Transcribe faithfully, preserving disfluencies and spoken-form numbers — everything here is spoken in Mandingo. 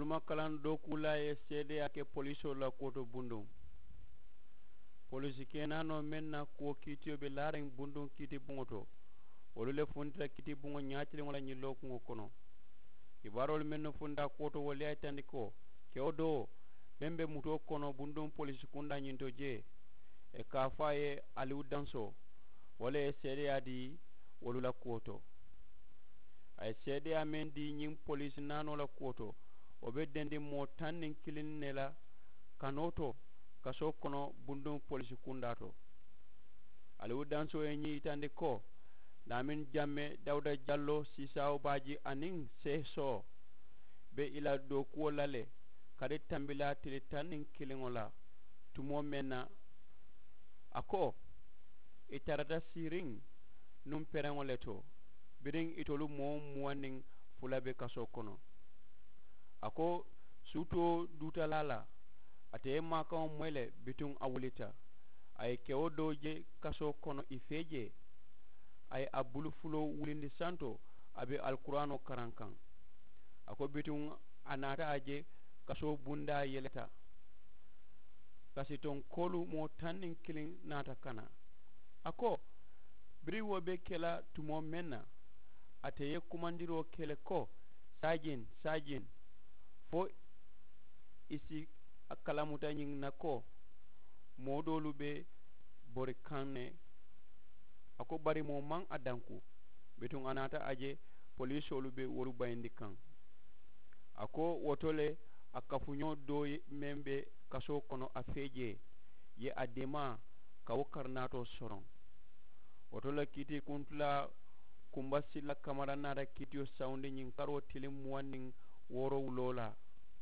Tuma kalaŋ dookuulaa ye seedeyaa ke polisoolu la kuwo to bunduŋ. Polisi kenaanoo meŋ na kuwo kiitiyo be laariŋ bunduŋ kiiti buŋo to, wolu le funtita kiiti buŋo ñaatiliŋo la ñiŋ lookuŋo kono. Kibaaroolu mennu funta kuwo to wolu ye a yitandi ko kewo doo meŋ be mutoo kono bunduŋ polisi kundaa ñiŋ to jee, ì ka a fo a ye aliwu dansoo, wo le ye seedeyaa dii wolu la kuwo to. A ye seedeyaa meŋ dii ñiŋ poliisi naanoo la kuwo to, wo be dendiŋ moo taŋ niŋ kiliŋ ne la kanoo to kasoo kono bunduŋ poliisi kundaa to. Aliwu dansoo ye ñiŋ yitandi ko laamin jamme dawuda jalloo siisaawo baaji aniŋ seesoo be ì la dookuwo la le kadi tambilaa tili taŋ niŋ kiliŋo la tumoo meŋ na. A ko ì tarata siiriŋ nuŋ pereŋo le to biriŋ itolu moo muwaŋ niŋ fula be kasoo kono. A ko suutoo duutalaa la ate ye maakaŋo moyi le bituŋ a wulita. A ye kewo doo je kasoo kono ì fee jee. A ye a bulu fuloo wulindi santo a be alikuraanoo karaŋ kaŋ. A ko bituŋ a naata a je kasoo bundaa yeleta. Kasitoŋ koolu moo taŋ niŋ kiliŋ naata kana. A ko biriŋ wo be ke la tumoo meŋ na ate ye kumandiroo ke le ko saajin saajin, fo ì si a kalamuta ñiŋ na ko moo doolu be bori kaŋ ne. A ko bari moo maŋ a danku bituŋ a naata a je poliisoolu be wolu bayindi kaŋ. A ko wo to le a kafuñoo doo meŋ be kasoo kono a fee jee ye a deemaa ka wo karinaatoo soroŋ. Wo to le kiitiikuntulaa kumba sila kamara naata kiitiyo sawundi ñiŋ karoo tiliŋ muwaŋ niŋ woorowuloo la.